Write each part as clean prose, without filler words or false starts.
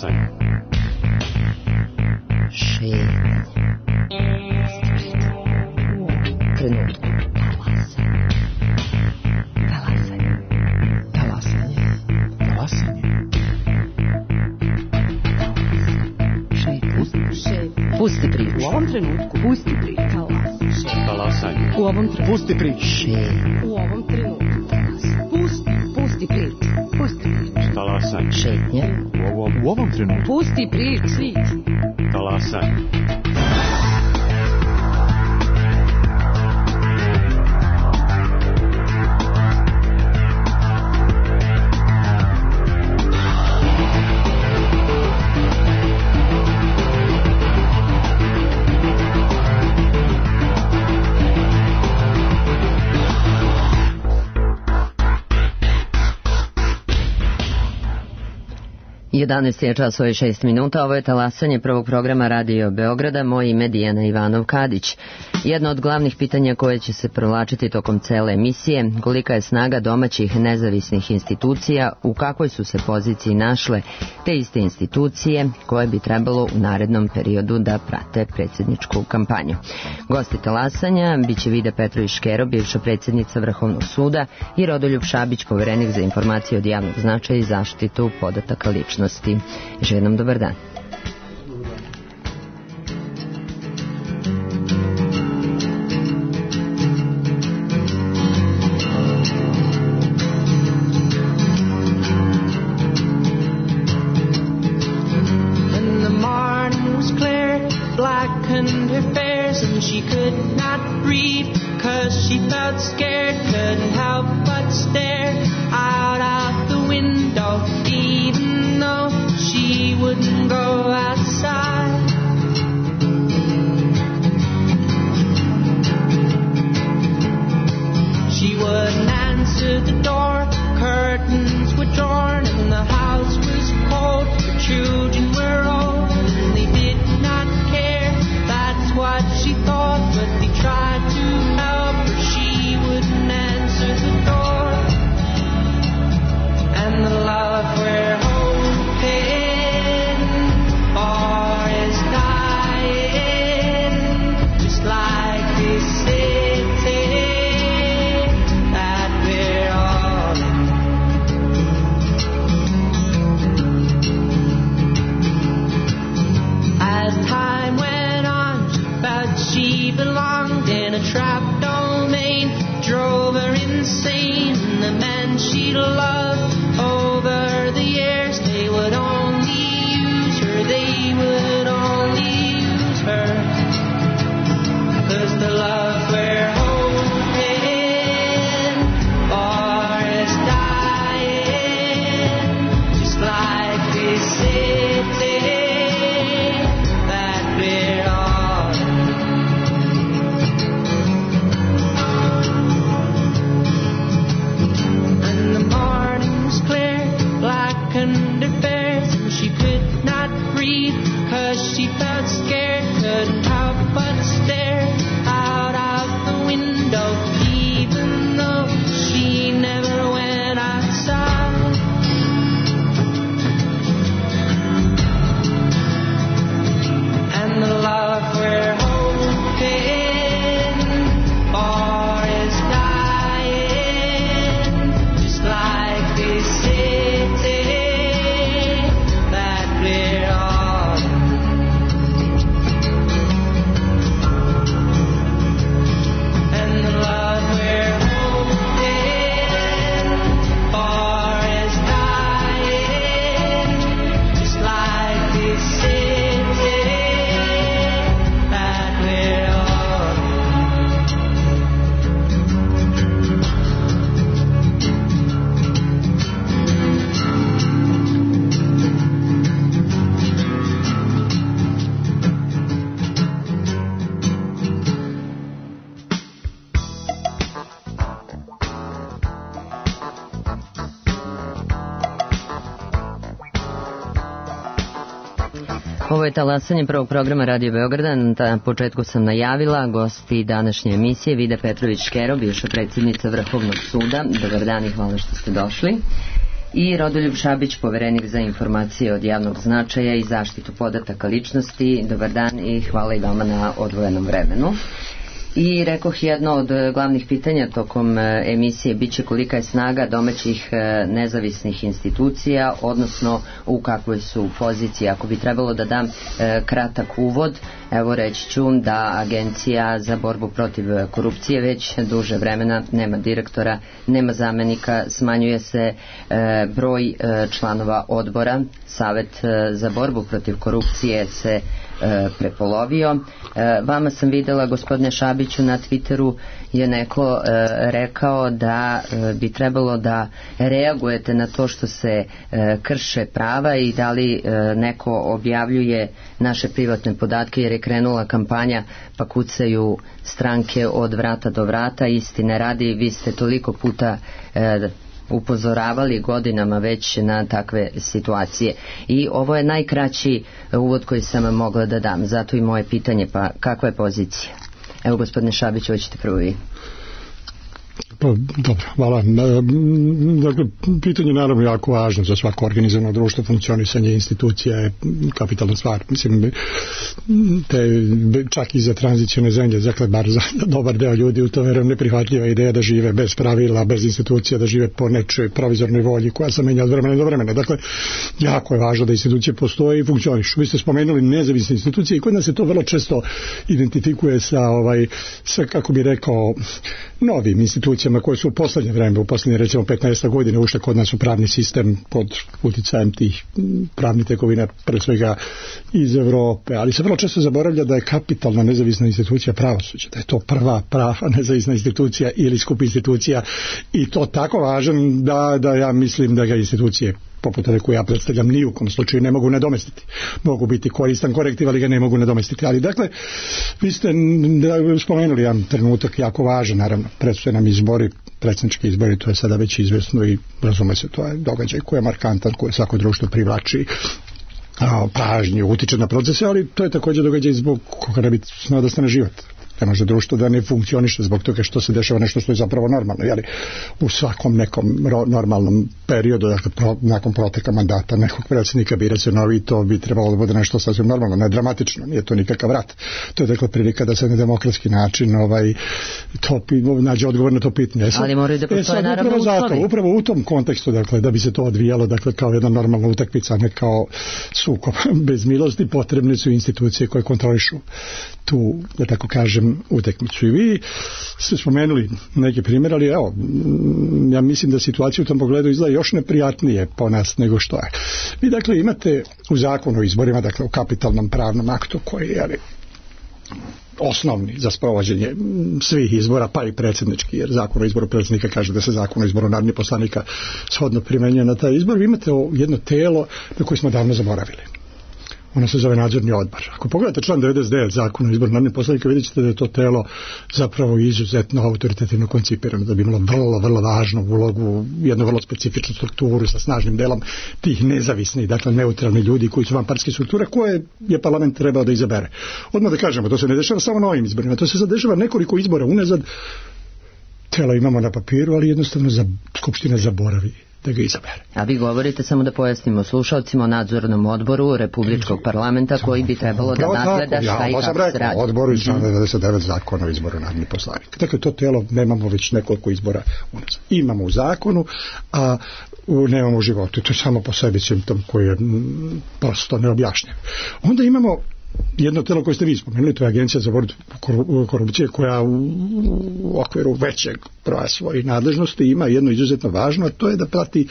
Talasanje. Šetnje. Trenutku. Talasanje. Talasanje. Talasanje. Pusti priču. U ovom trenutku. Pusti priču. Talasanje. U ovom trenutku. Pusti priču. U ovom trenutku. Pusti priču. Pusti priču. Talasanje. Šetnje. U ovom trenutku. Pusti priču. Talasanje. Jedanaest je časova i 6 minuta. Ovo je talasanje prvog programa Radio Beograda. Moje ime Dijana Ivanov-Kadić. Jedno od glavnih pitanja koje će se provlačiti tokom cele emisije, kolika je snaga domaćih nezavisnih institucija, u kakvoj su se poziciji našle te iste institucije koje bi trebalo u narednom periodu da prate predsjedničku kampanju. Gosti talasanja biće Vida Petrović-Škero, bivša predsjednica Vrhovnog suda, i Rodoljub Šabić, poverenik za informacije od javnog značaja i zaštitu podataka ličnosti. Želim nam dobar dan. Ovo je talasanje prvog programa Radio Beograda. Na početku sam najavila gosti današnje emisije Vida Petrović-Škero, bivša predsjednica Vrhovnog suda. Dobar dan i hvala što ste došli. i Rodoljub Šabić, poverenik za informacije od javnog značaja i zaštitu podataka ličnosti. Dobar dan i hvala i vama na odvojenom vremenu. I rekoh, jedno od glavnih pitanja tokom emisije biće kolika je snaga domaćih nezavisnih institucija, odnosno u kakvoj su poziciji. Ako bi trebalo da dam kratak uvod, evo reći ću da Agencija za borbu protiv korupcije već duže vremena nema direktora, nema zamenika, smanjuje se broj članova odbora. Savet za borbu protiv korupcije se prepolovio. Vama sam videla, gospodine Šabiću, na Twitteru je neko rekao da bi trebalo da reagujete na to što se krše prava i da li neko objavljuje naše privatne podatke, jer je krenula kampanja pa kucaju stranke od vrata do vrata. Istine radi, vi ste toliko puta upozoravali godinama već na takve situacije. I ovo je najkraći uvod koji sam mogla da dam. Zato i moje pitanje, pa kakva je pozicija? Evo, gospodine Šabić, hoćete prvo vi. Pa, dobro, hvala. Dakle, pitanje je naravno jako važno za svako organizovano društvo. Funkcionisanje institucija je kapitalna stvar. Mislim, čak i za tranzicione zemlje, dakle, bar za dobar deo ljudi u to verujem neprihvatljiva ideja da žive bez pravila, bez institucija, da žive po nečoj provizornoj volji koja se menja od vremena do vremena. Dakle, jako je važno da institucije postoje i funkcionišu. Vi ste spomenuli nezavisne institucije i kod nas se to vrlo često identifikuje sa kako bi rekao, novim institucijama koje su u poslednje vreme, u poslednje recimo 15 godina ušle kod nas u pravni sistem pod uticajem tih pravnih tekovina, pre svega iz Evrope, ali se vrlo često zaboravlja da je kapitalna nezavisna institucija pravosuđe, da je to prva prava nezavisna institucija ili skup institucija i to tako važan da ja mislim da ga institucije poput ove koje ja predstavljam ni u kom slučaju ne mogu nadomestiti. Mogu biti koristan korektiv, ali ga ne mogu nadomestiti. Ali dakle, vi ste spomenuli jedan trenutak jako važan, naravno, predstoje nam izbori, predsjednički izbori, to je sada već izvesno i razume se, to je događaj koji je markantan, koji svako društvo privlači pažnju, utiče na procese, ali to je također događaj zbog koga ne bi smeo da stane život. Ne može društvo da ne funkcioniše zbog toga što se dešava nešto što je zapravo normalno. Jeli, u svakom nekom normalnom periodu, dakle, nakon proteka mandata nekog predsjednika bira se novi, to bi trebalo da bude nešto sasvim normalno, ne dramatično, nije to nikakav rat. To je dakle prilika da se na demokratski način nađe odgovor na to pitanje. Ali moraju da postoje naravno uslovi. Upravo u tom kontekstu, dakle, da bi se to odvijalo, dakle, kao jedna normalna utakmica, ne kao sukob bez milosti, potrebne su institucije koje kontrolišu tu, da tako kažem, utakmicu. I vi ste spomenuli neki primjer, ali evo, ja mislim da situacija u tom pogledu izgleda još neprijatnije po nas nego što je. Vi dakle imate u zakonu o izborima, dakle u kapitalnom pravnom aktu koji je osnovni za sprovođenje svih izbora, pa i predsjednički, jer zakon o izboru predsjednika kaže da se zakon o izboru narodnih poslanika shodno primenjuje na taj izbor. Vi imate jedno telo na koje smo davno zaboravili. Ono se zove nadzorni odbor. Ako pogledate član 99 zakona o izboru narodnih poslanika, vidjet ćete da je to telo zapravo izuzetno autoritativno koncipirano, da bi imalo vrlo važnu ulogu, jednu vrlo specifičnu strukturu sa snažnim delom tih nezavisnih, dakle neutralni ljudi koji su vanpartijske strukture koje je parlament trebao da izabere. Odmah da kažemo, to se ne dešava samo na ovim izborima, to se zadešava nekoliko izbora unazad. Telo imamo na papiru, ali jednostavno Skupština zaboravi da ga izabere. A vi govorite, samo da pojasnimo slušalcima, o nadzornom odboru Republičkog parlamenta koji bi trebalo da nadgleda šta i kako se radi. Odboru iz člana 99 zakona o izboru narodnih poslanika. Dakle, to telo nemamo već nekoliko izbora unazad. Imamo u zakonu, a nemamo u životu. To je samo po sebi simptom koji je prosto neobjašnjiv. Onda imamo jedno telo koje ste vi spomenuli, to je Agencija za borbu korupcije, koja u okviru većeg broja svojih nadležnosti ima jedno izuzetno važno, a to je da prati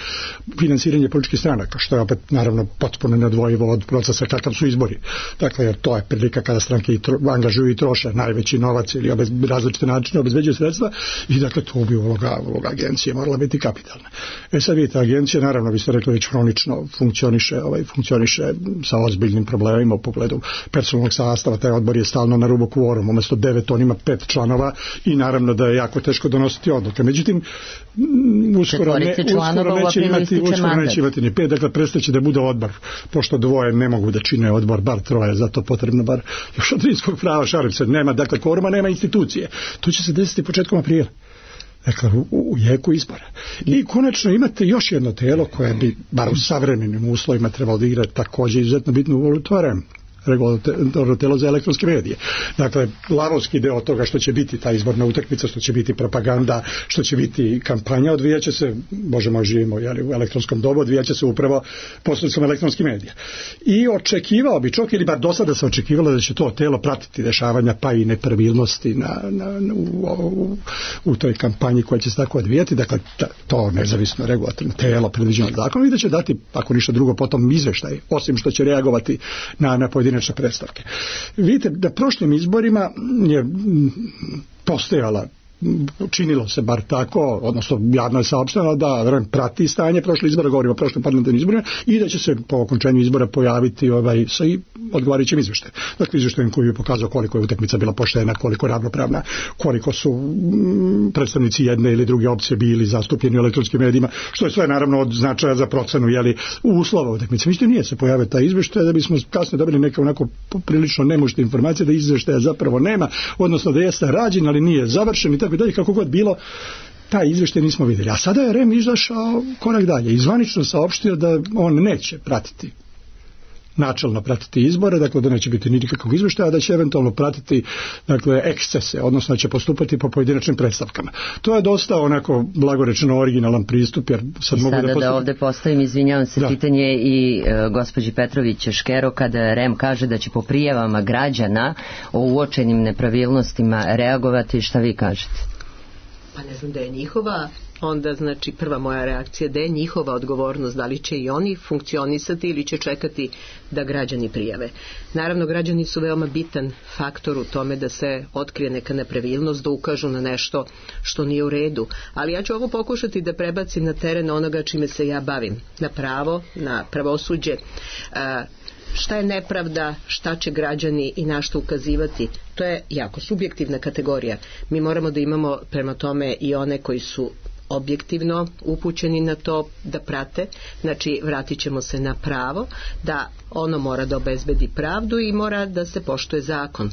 finansiranje političkih stranaka, što je opet naravno potpuno neodvojivo od procesa kakav su izbori. Dakle, jer to je prilika kada stranke angažuju i troše najveći novac ili različite načine obezbeđuju sredstva i dakle to bi uloga agencije morala biti kapitalna. Sad vidite, agencija naravno, vi ste rekli, već hronično funkcioniše sa ozbiljnim problemima u pogledu personalnog sastava. Taj odbor je stalno na rubu kvoruma, umjesto 9 on ima 5 članova i naravno da je jako teško donositi odluke. Međutim, uskoro neće imati ni 5, dakle prestaće da bude odbor, pošto dvoje ne mogu da čine odbor, bar troje, zato potrebno bar još od rimskog prava, šalim se, nema, dakle kvoruma, nema institucije. To će se desiti početkom aprila. Dakle, u jeku izbora. I konačno imate još jedno telo koje bi, bar u savremenim uslovima, trebalo da igra također izuzetno bitnu ulogu, to je REM, regulatorno telo za elektronske medije. Dakle, lavovski deo toga što će biti ta izborna utakmica, što će biti propaganda, što će biti kampanja, odvijaće se, Bože moj, živimo u elektronskom dobu, odvijaće se upravo posredstvom elektronskih medija. I očekivao bi čovjek, ili bar do sada se očekivalo da će to telo pratiti dešavanja pa i nepravilnosti u toj kampanji koja će se tako odvijati. Dakle, to nezavisno regulatorno telo predviđeno zakonom i da će dati, ako ništa drugo, potom izveštaj, osim što će reagovati na pojedinačne predstavke. Vidite da prošlim izborima je postojala, činilo se bar tako, odnosno javno je saopšteno da REM prati stanje prošle izbora, govorimo o prošlim parlamentarnim izborima, i da će se po okončanju izbora pojaviti sa odgovarajućim izveštajem. Dakle, izveštajem koji je pokazao koliko je utakmica bila poštena, koliko je ravnopravna, koliko su predstavnici jedne ili druge opcije bili zastupljeni u elektronskim medijima, što je sve naravno od značaja za procenu uslova utakmice. Međutim, nije se pojavio taj izveštaj, da bismo kasnije dobili neke onako prilično nemušte informacije da izveštaja zapravo nema, odnosno da jeste rađen, ali nije završen i tako dalje, kako god bilo, taj izveštaj nismo vidjeli. A sada je REM izašao korak dalje i zvanično saopštio da on neće načelno pratiti izbore, dakle da neće biti nikakvog izveštaja, da će eventualno pratiti, dakle, ekscese, odnosno da će postupati po pojedinačnim predstavkama. To je dosta onako, blago rečeno, originalan pristup, jer sad mogu da ovdje postavim, izvinjavam se, pitanje i gospođi Petrović Škero, kada REM kaže da će po prijavama građana o uočenim nepravilnostima reagovati, šta vi kažete? Pa ne znam da je njihova, onda znači prva moja reakcija da je njihova odgovornost, da li će i oni funkcionisati ili će čekati da građani prijave. Naravno, građani su veoma bitan faktor u tome da se otkrije neka nepravilnost, da ukažu na nešto što nije u redu, ali ja ću ovo pokušati da prebacim na teren onoga čime se ja bavim, na pravo, na pravosuđe. Šta je nepravda, šta će građani i na što ukazivati, to je jako subjektivna kategorija. Mi moramo da imamo prema tome i one koji su objektivno upućeni na to da prate, znači vratit ćemo se na pravo, da ono mora da obezbedi pravdu i mora da se poštuje zakon.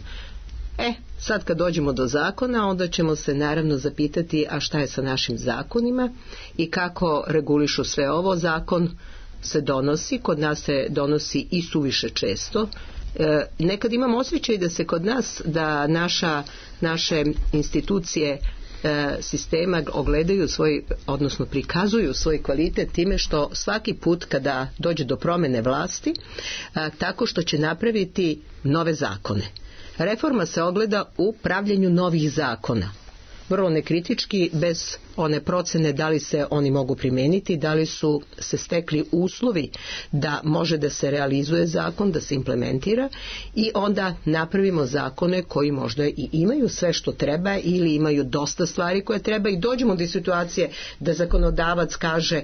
Sad kad dođemo do zakona, onda ćemo se naravno zapitati, a šta je sa našim zakonima i kako regulišu sve ovo. Zakon se donosi, kod nas se donosi i suviše često. Nekad imam osjećaj da se kod nas, da naše institucije sistema ogledaju svoj, odnosno prikazuju svoj kvalitet time što svaki put kada dođe do promjene vlasti, tako što će napraviti nove zakone. Reforma se ogleda u pravljenju novih zakona. Vrlo nekritički, bez one procene da li se oni mogu primeniti, da li su se stekli uslovi da može da se realizuje zakon, da se implementira, i onda napravimo zakone koji možda i imaju sve što treba ili imaju dosta stvari koje treba i dođemo do situacije da zakonodavac kaže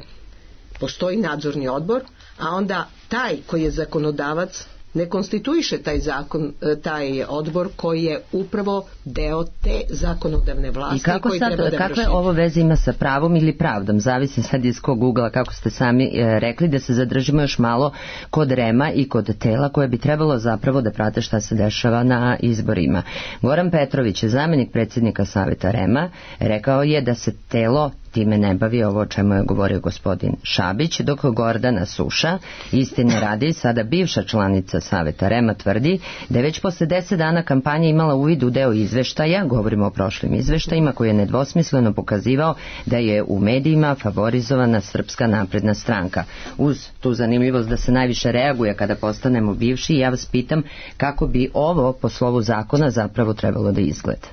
postoji nadzorni odbor, a onda taj koji je zakonodavac ne konstituiše taj zakon, taj odbor koji je upravo deo te zakonodavne vlasti. I kako koji sad, treba da kakve ovo veze ima sa pravom ili pravdom? Zavisi sad iz kog ugla, kako ste sami rekli, da se zadržimo još malo kod REM-a i kod tela koje bi trebalo zapravo da prate šta se dešava na izborima. Goran Petrović, zamjenik predsjednika Saveta REM-a, rekao je da se telo time ne bavi, ovo o čemu je govorio gospodin Šabić, dok Gordana Suša, istine radi, sada bivša članica Saveta REM-a, tvrdi da je već posle 10 dana kampanja imala uvid u deo izveštaja, govorimo o prošlim izveštajima, koji je nedvosmisleno pokazivao da je u medijima favorizovana Srpska napredna stranka. Uz tu zanimljivost da se najviše reaguje kada postanemo bivši, ja vas pitam kako bi ovo po slovu zakona zapravo trebalo da izgleda.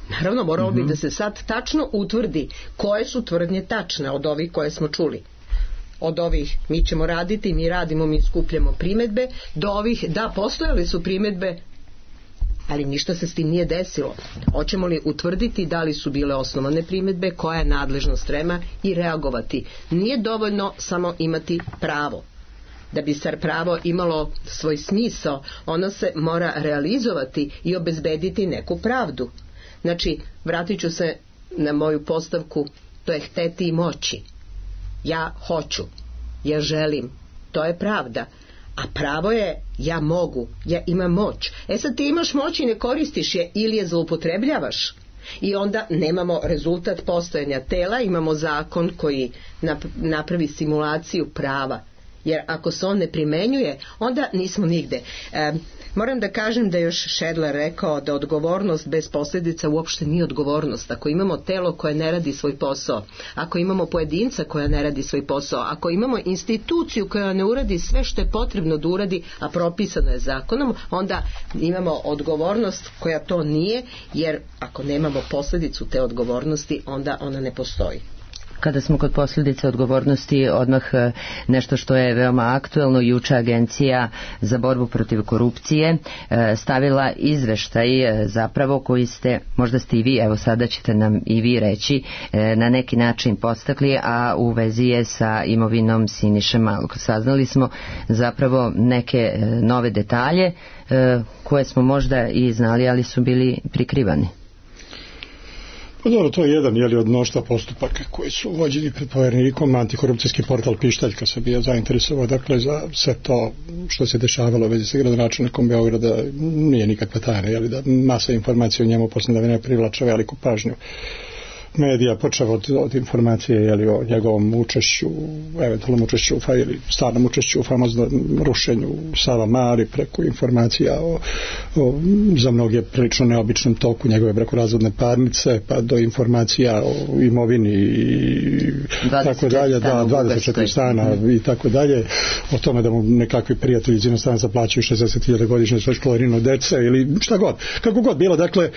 Naravno, moralo bi da se sad tačno utvrdi koje su tvrdnje tačne od ovih koje smo čuli. Od ovih mi ćemo raditi, mi radimo, mi skupljamo primedbe, do ovih da postojali su primedbe, ali ništa se s tim nije desilo. Hoćemo li utvrditi da li su bile osnovane primedbe, koja je nadležnost REM-a i reagovati. Nije dovoljno samo imati pravo. Da bi SAR pravo imalo svoj smisao, ono se mora realizovati i obezbediti neku pravdu. Znači, vratit ću se na moju postavku, to je hteti i moći. Ja hoću, ja želim, to je pravda. A pravo je ja mogu, ja imam moć. Sad ti imaš moć i ne koristiš je ili je zloupotrebljavaš. I onda nemamo rezultat postojanja tela, imamo zakon koji napravi simulaciju prava. Jer ako se on ne primenjuje, onda nismo nigde. Moram da kažem da je još Šedler rekao da odgovornost bez posljedica uopšte nije odgovornost. Ako imamo telo koje ne radi svoj posao, ako imamo pojedinca koja ne radi svoj posao, ako imamo instituciju koja ne uradi sve što je potrebno da uradi, a propisano je zakonom, onda imamo odgovornost koja to nije, jer ako nemamo posljedicu te odgovornosti, onda ona ne postoji. Kada smo kod posljedice odgovornosti, odmah nešto što je veoma aktuelno, juče Agencija za borbu protiv korupcije stavila izveštaj zapravo koji ste, možda ste i vi, evo sada ćete nam i vi reći, na neki način podstakli, a u vezi je sa imovinom Siniše Malog. Saznali smo zapravo neke nove detalje koje smo možda i znali, ali su bili prikrivani. Pa dobro, to je jedan od mnoštva postupaka koji su vođeni pred povjerenikom. Antikorupcijski portal Pištaljka se bio zainteresovao, dakle, za sve to što se dešavalo u vezi sa gradonačelnikom Beograda. Nije nikakva tajna, da masa informacija o njemu posljednje vremena privlača veliku pažnju medija, počeo od informacije o njegovom učešću, eventualnom učešću ili stvarnom učešću u famoznom rušenju Savamale, preko informacija o za mnoge prilično neobičnom toku njegove brakorazvodne parnice, pa do informacija o imovini i tako dalje, 24 stana i tako dalje, o tome da mu nekakvi prijatelji iz inostranstva zaplaćuju 60.000 godišnje za školarinu dece ili šta god, kako god bilo, dakle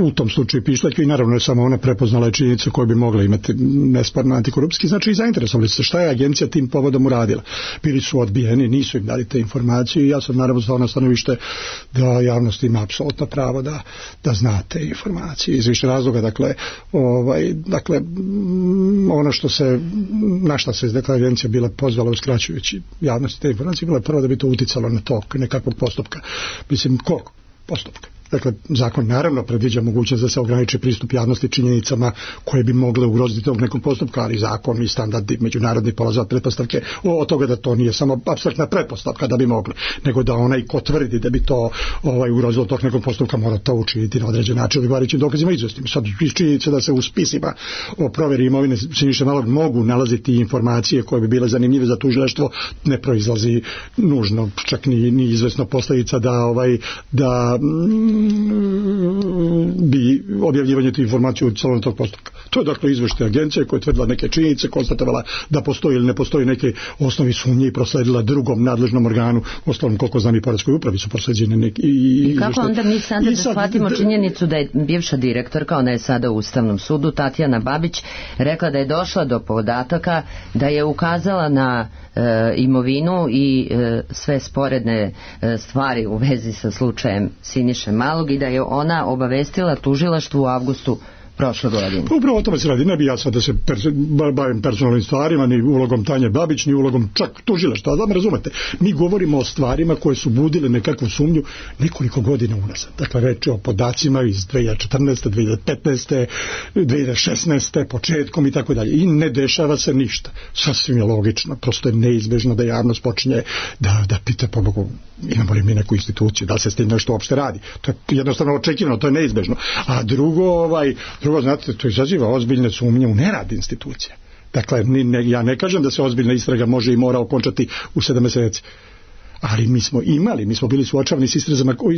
u tom slučaju Pištaljka, i naravno je samo ona prepoznala činjenice koje bi mogla imati nesporno antikorupcijski, znači i zainteresovali se šta je agencija tim povodom uradila. Bili su odbijeni, nisu im dali te informacije i ja sam naravno stao na stanovište da javnost ima apsolutno pravo da zna te informacije iz više razloga. Dakle, ono na šta se agencija bila pozvala uskraćujući javnosti te informacije, bilo je prvo da bi to uticalo na tok nekakvog postupka. Mislim, koliko postupka? Dakle, zakon naravno predviđa mogućnost da se ograniči pristup javnosti činjenicama koje bi mogle ugroziti tog nekog postupka, ali zakon i standardi međunarodni polaze od pretpostavke od toga da to nije samo apstraktna pretpostavka da bi mogli, nego da onaj ko tvrdi da bi to ugrozilo tog nekog postupka mora to učiniti na određen način odgovarajućim dokazima izvestim. Sad iz činjenice da se u spisima o provjeri imovine Siniše Malog mogu nalaziti informacije koje bi bile zanimljive za tužilaštvo, ne proizlazi nužno čak ni izvesno posljedica da bi objavljivanje tih informacija uticalo na tog postupka. To je dakle izveštaj agencije koja je tvrdila neke činjenice, konstatovala da postoji ili ne postoji neke osnovi sumnje i prosledila drugom nadležnom organu, ostalom koliko znam i poreskoj upravi su prosleđene neki i kako onda mi sada da shvatimo činjenicu da je bivša direktorka, ona je sada u Ustavnom sudu, Tatjana Babić, rekla da je došla do podataka da je ukazala na imovinu i sve sporedne stvari u vezi sa slučajem Siniše Malog i da je ona obavestila tužilaštvu u avgustu prošle godine. Upravo o tome se radi. Ne bi ja sad da se bavim personalnim stvarima, ni ulogom Tanje Babić, ni ulogom čak tužilaštva. Da me razumete, mi govorimo o stvarima koje su budile nekakvu sumnju nekoliko godina unazad. Dakle, reč je o podacima iz 2014. 2015. 2016. početkom i tako dalje. I ne dešava se ništa. Sasvim je logično. Prosto je neizbežno da javnost počinje da pita, po Bogu, imamo li mi neku instituciju, da li se s tim nešto uopšte radi. To je jednostavno očekivano, to je neizbežno. A drugo, znate, to izaziva ozbiljne sumnje u nerad institucija. Dakle, ja ne kažem da se ozbiljna istraga može i mora okončati u 7 mjeseci. Ali mi smo bili suočavani s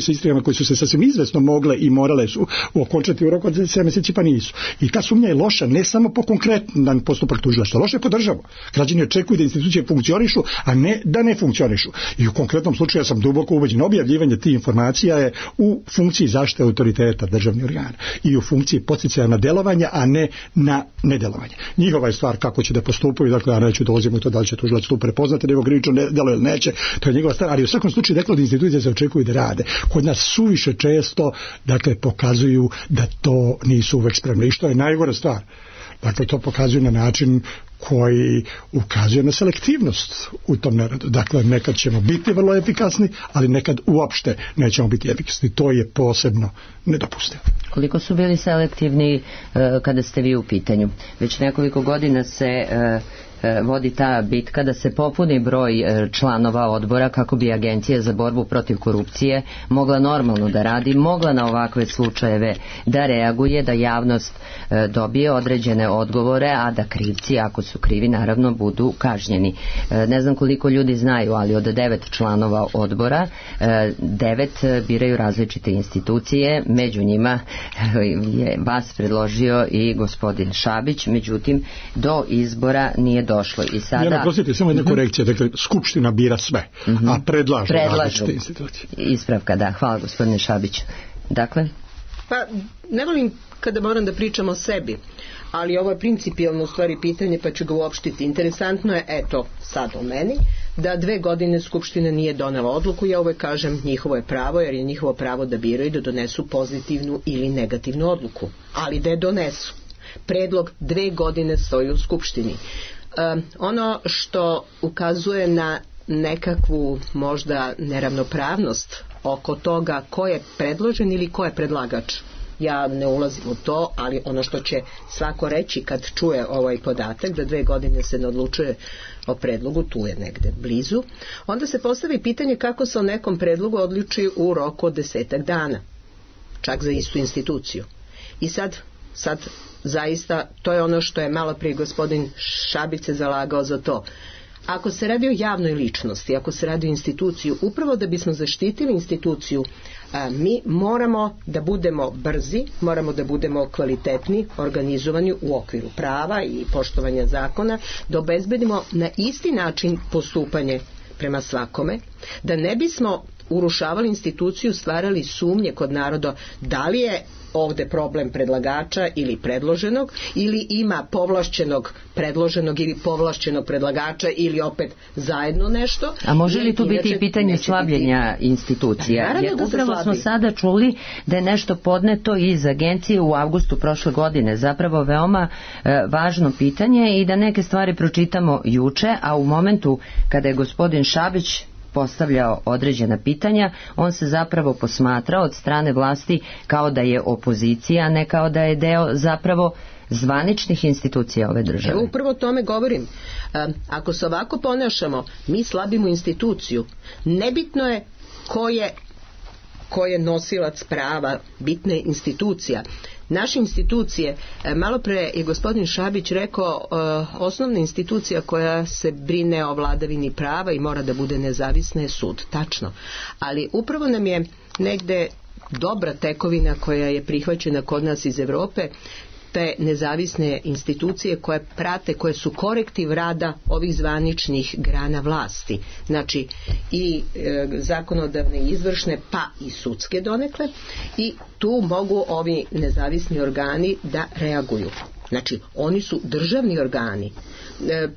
istragama koje su se sasvim izvesno mogle i morale su okončati u roku od 7 mjeseci, pa nisu. I ta sumnja je loša ne samo po konkretan postupak tužilaštva, loša je po državu. Građani očekuju da institucije funkcionišu, a ne da ne funkcionišu. I u konkretnom slučaju ja sam duboko ubeđen, objavljivanje tih informacija je u funkciji zaštite autoriteta državnih organa i u funkciji podsticaja na delovanje, a ne na nedelovanje. Njihova je stvar kako će da postupaju, dakle ja neću dolazim u to da li će tužilac tu prepoznati nego krivično delo ili neće, to je njegova stvar, ali u svakom slučaju dakle od institucije se očekuju da rade. Kod nas suviše često dakle pokazuju da to nisu uvek spremni i što je najgora stvar. Dakle, to pokazuju na način koji ukazuje na selektivnost u tom neradu. Dakle, nekad ćemo biti vrlo efikasni, ali nekad uopšte nećemo biti efikasni. To je posebno nedopustivo. Koliko su bili selektivni kada ste vi u pitanju? Već nekoliko godina se vodi ta bitka da se popuni broj članova odbora kako bi Agencija za borbu protiv korupcije mogla normalno da radi, mogla na ovakve slučajeve da reaguje, da javnost dobije određene odgovore, a da krivci, ako su krivi, naravno budu kažnjeni. Ne znam koliko ljudi znaju, ali od 9 članova odbora 9 biraju različite institucije, među njima je vas predložio i gospodin Šabić, međutim do izbora nije došlo. I sada... Prostite, samo jedna korekcija, dakle, Skupština bira sve, a predlažu različite institucije. Ispravka, da. Hvala gospodine Šabić. Dakle? Pa, ne volim kada moram da pričam o sebi, ali ovo je principijalno u stvari pitanje, pa ću ga uopštiti. Interesantno je, eto, sad o meni, da 2 godine Skupština nije donela odluku. Ja uvek kažem, njihovo je pravo, jer je njihovo pravo da biraju, da donesu pozitivnu ili negativnu odluku. Ali da je donesu. Predlog 2 godine stoji u Skupštini. Ono što ukazuje na nekakvu možda neravnopravnost oko toga ko je predložen ili ko je predlagač. Ja ne ulazim u to, ali ono što će svako reći kad čuje ovaj podatak da 2 godine se ne odlučuje o predlogu, tu je negde blizu, onda se postavi pitanje kako se o nekom predlogu odluči u roku od 10 dana, čak za istu instituciju. I sad zaista to je ono što je malo prije gospodin Šabić se zalagao za to. Ako se radi o javnoj ličnosti, ako se radi o instituciju, upravo da bismo zaštitili instituciju, mi moramo da budemo brzi, moramo da budemo kvalitetni, organizovani u okviru prava i poštovanja zakona, da obezbedimo na isti način postupanje prema svakome, da ne bismo urušavali instituciju, stvarali sumnje kod naroda da li je ovde problem predlagača ili predloženog, ili ima povlašćenog predloženog ili povlašćenog predlagača, ili opet zajedno nešto. A može li tu biti i pitanje slabljenja institucija? Jer upravo smo sada čuli da je nešto podneto iz agencije u avgustu prošle godine. Zapravo veoma važno pitanje i da neke stvari pročitamo juče, a u momentu kada je gospodin Šabić postavljao određena pitanja, on se zapravo posmatrao od strane vlasti kao da je opozicija, a ne kao da je deo zapravo zvaničnih institucija ove države. Evo upravo o tome govorim. Ako se ovako ponašamo, mi slabimo instituciju. Nebitno je ko je nosilac prava, bitna je institucija. Naše institucije, malo pre je gospodin Šabić rekao, osnovna institucija koja se brine o vladavini prava i mora da bude nezavisna je sud. Tačno. Ali upravo nam je negde dobra tekovina koja je prihvaćena kod nas iz Evrope, te nezavisne institucije koje prate, koje su korektiv rada ovih zvaničnih grana vlasti. Znači i zakonodavne i izvršne, pa i sudske donekle, i tu mogu ovi nezavisni organi da reaguju. Znači, oni su državni organi.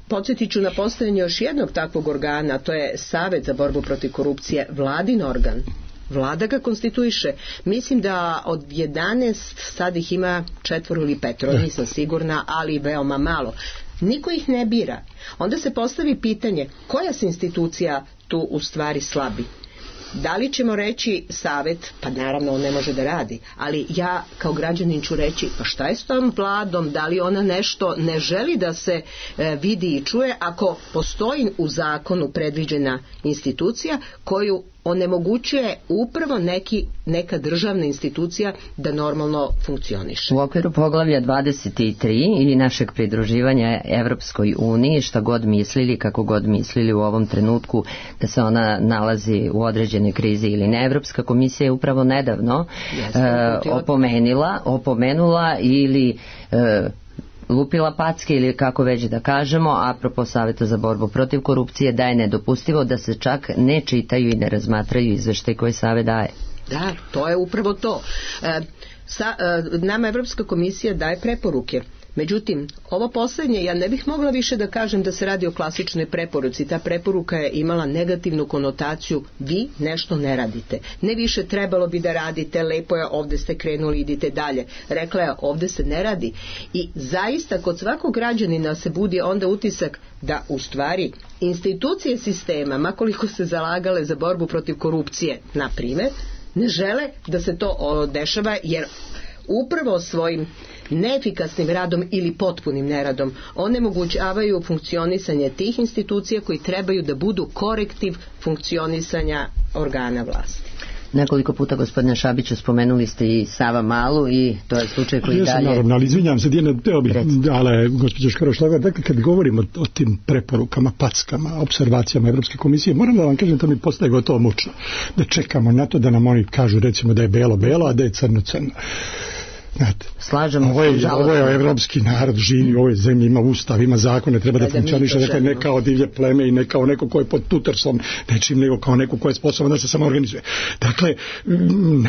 Podsjetit ću na postavljanje još jednog takvog organa, to je Savet za borbu protiv korupcije, vladin organ. Vlada ga konstituiše. Mislim da od 11 sad ih ima 4 ili 5, nisam sigurna, ali veoma malo. Niko ih ne bira. Onda se postavi pitanje koja se institucija tu u stvari slabi. Da li ćemo reći Savet, pa naravno on ne može da radi, ali ja kao građanin ću reći, pa šta je s tom vladom, da li ona nešto ne želi da se vidi i čuje ako postoji u zakonu predviđena institucija koju onemogućuje upravo neka državna institucija da normalno funkcioniše. U okviru poglavlja 23 i našeg pridruživanja Evropskoj uniji, šta god mislili, kako god mislili u ovom trenutku da se ona nalazi u određenoj krizi ili ne, Evropska komisija je upravo nedavno opomenula ili lupila packe ili kako već da kažemo, apropo Saveta za borbu protiv korupcije, da je nedopustivo da se čak ne čitaju i ne razmatraju izveštaj koje Savet daje. Da, to je upravo to. Nama Evropska komisija daje preporuke. Međutim, ovo poslednje, ja ne bih mogla više da kažem da se radi o klasičnoj preporuci. Ta preporuka je imala negativnu konotaciju, vi nešto ne radite. Ne više trebalo bi da radite, lepo je, ovde ste krenuli, idite dalje. Rekla je, ovde se ne radi. I zaista, kod svakog građanina se budi onda utisak da u stvari institucije sistema, makoliko se zalagale za borbu protiv korupcije, na primer, ne žele da se to dešava, jer upravo svojim neefikasnim radom ili potpunim neradom onemogućavaju funkcionisanje tih institucija koji trebaju da budu korektiv funkcionisanja organa vlasti. Nekoliko puta, gospodine Šabiću, spomenuli ste i Savamalu i to je slučaj koji dalje... Naravno, ali izvinjam se, Dijana, teo bih, ali gospođa Škoro-Šlagor, dakle, kad govorimo o tim preporukama, packama, observacijama Evropske komisije, moram da vam kažem, to mi postaje gotovo mučno, da čekamo na to da nam oni kažu, recimo, da je belo, a da je crno. Znate, ovo je evropski narod, živi u ovoj zemlji, ima ustav, ima zakone, treba da funkcioniše, dakle, ne kao divlje pleme i ne kao neko ko je pod tutorstvom nečim, nego kao neko ko je sposoban da se samo organizuje. Dakle,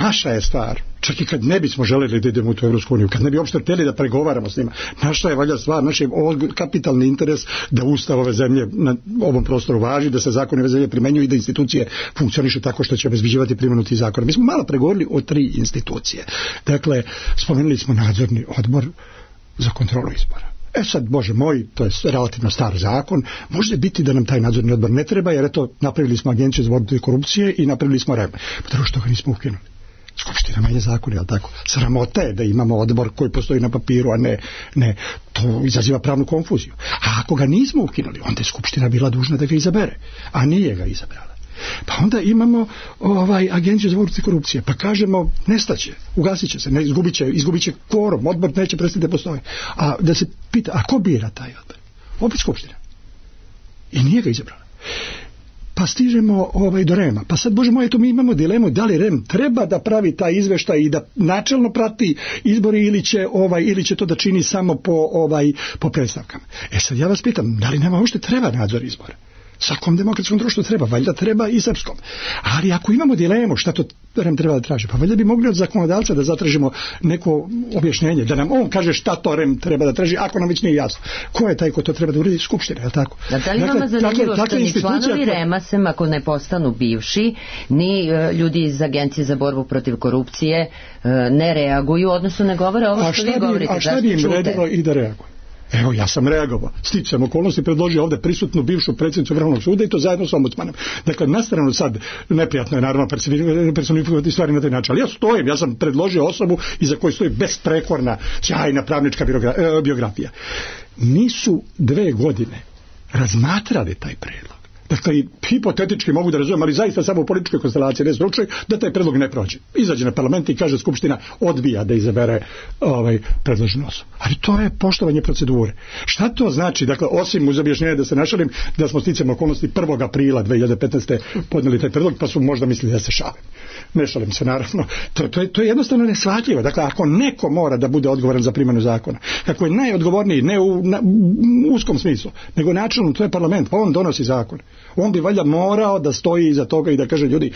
naša je stvar, čak i kad ne bismo želeli da idemo u tu Evropsku uniju, kad ne bi uopšte hteli da pregovaramo s njima, naša je valjda stvar, naš je kapitalni interes da ustav ove zemlje na ovom prostoru važi, da se zakoni ove zemlje primenjuju i da institucije funkcionišu tako što će obezbeđivati primjenu tih zakona. Mi smo malo pregovorili o 3 institucije. Dakle, spomenuli smo nadzorni odbor za kontrolu izbora. Sad, Bože moj, to je relativno star zakon, može biti da nam taj nadzorni odbor ne treba, jer eto, napravili smo Agenciju za borbu protiv korupcije i napravili smo REM. Zato što ga nismo ukinuli. Skupština menja zakon, jel tako? Sramota je da imamo odbor koji postoji na papiru, a ne, to izaziva pravnu konfuziju. A ako ga nismo ukinuli, onda je Skupština bila dužna da ga izabere, a nije ga izabrala. Pa onda imamo Agenciju za borbu protiv korupcije, pa kažemo nestaće, ugasit će se, izgubit će kvorum, odbor neće prestati da postoji. A da se pita, a ko bira taj odbor? Opet Skupština. I nije ga izabrala. Pa stižemo do REM-a. Pa sad, Bože moj, mi imamo dilemu da li REM treba da pravi taj izveštaj i da načelno prati izbori ili će to da čini samo po predstavkama. Sad ja vas pitam, da li nama uopšte treba nadzor izbora? Svakom demokratskom društvu treba, valjda treba i srpskom. Ali ako imamo dilemu šta to REM treba da traži, pa valjda bi mogli od zakonodavca da zatražimo neko objašnjenje, da nam on kaže šta to REM treba da traži, ako nam već nije jasno. Ko je taj ko to treba da uredi? Skupština, je li tako? Da li vama zanimljivo što ni članovi REM-a, sem ako ne postanu bivši, ni ljudi iz Agencije za borbu protiv korupcije ne reaguju, odnosno ne govore ovo što vi govorite? A šta bi im redilo i da reaguju? Evo, ja sam reagovao. Sticajem okolnosti predložio ovde prisutnu bivšu predsjednicu Vrhovnog suda i to zajedno s ombudsmanom. Dakle, na stranu sad, neprijatno je naravno personifikovati stvari na taj način, ali ja stojim, ja sam predložio osobu iza koje stoji besprekorna, sjajna pravnička biografija. Nisu 2 godine razmatrali taj predlog. Dakle, hipotetički mogu da razumem, ali zaista samo u političkoj konstelaciji ne slučaj da taj predlog ne prođe. Izađe na parlament i kaže Skupština odbija da izabere predloženu osobu. Ali to je poštovanje procedure. Šta to znači? Dakle, osim uz objašnjenje da se našalim, da smo sticajem okolnosti 1. aprila 2015. podneli taj predlog, pa su možda mislili da se šalim. Ne šalim se, naravno. To je jednostavno neshvatljivo. Dakle, ako neko mora da bude odgovoran za primjenu zakona, kako je najodgovorniji, ne u uskom smislu, nego načelno, to je parlament, pa on donosi zakon. On bi valjda morao da stoji iza toga i da kaže, ljudi,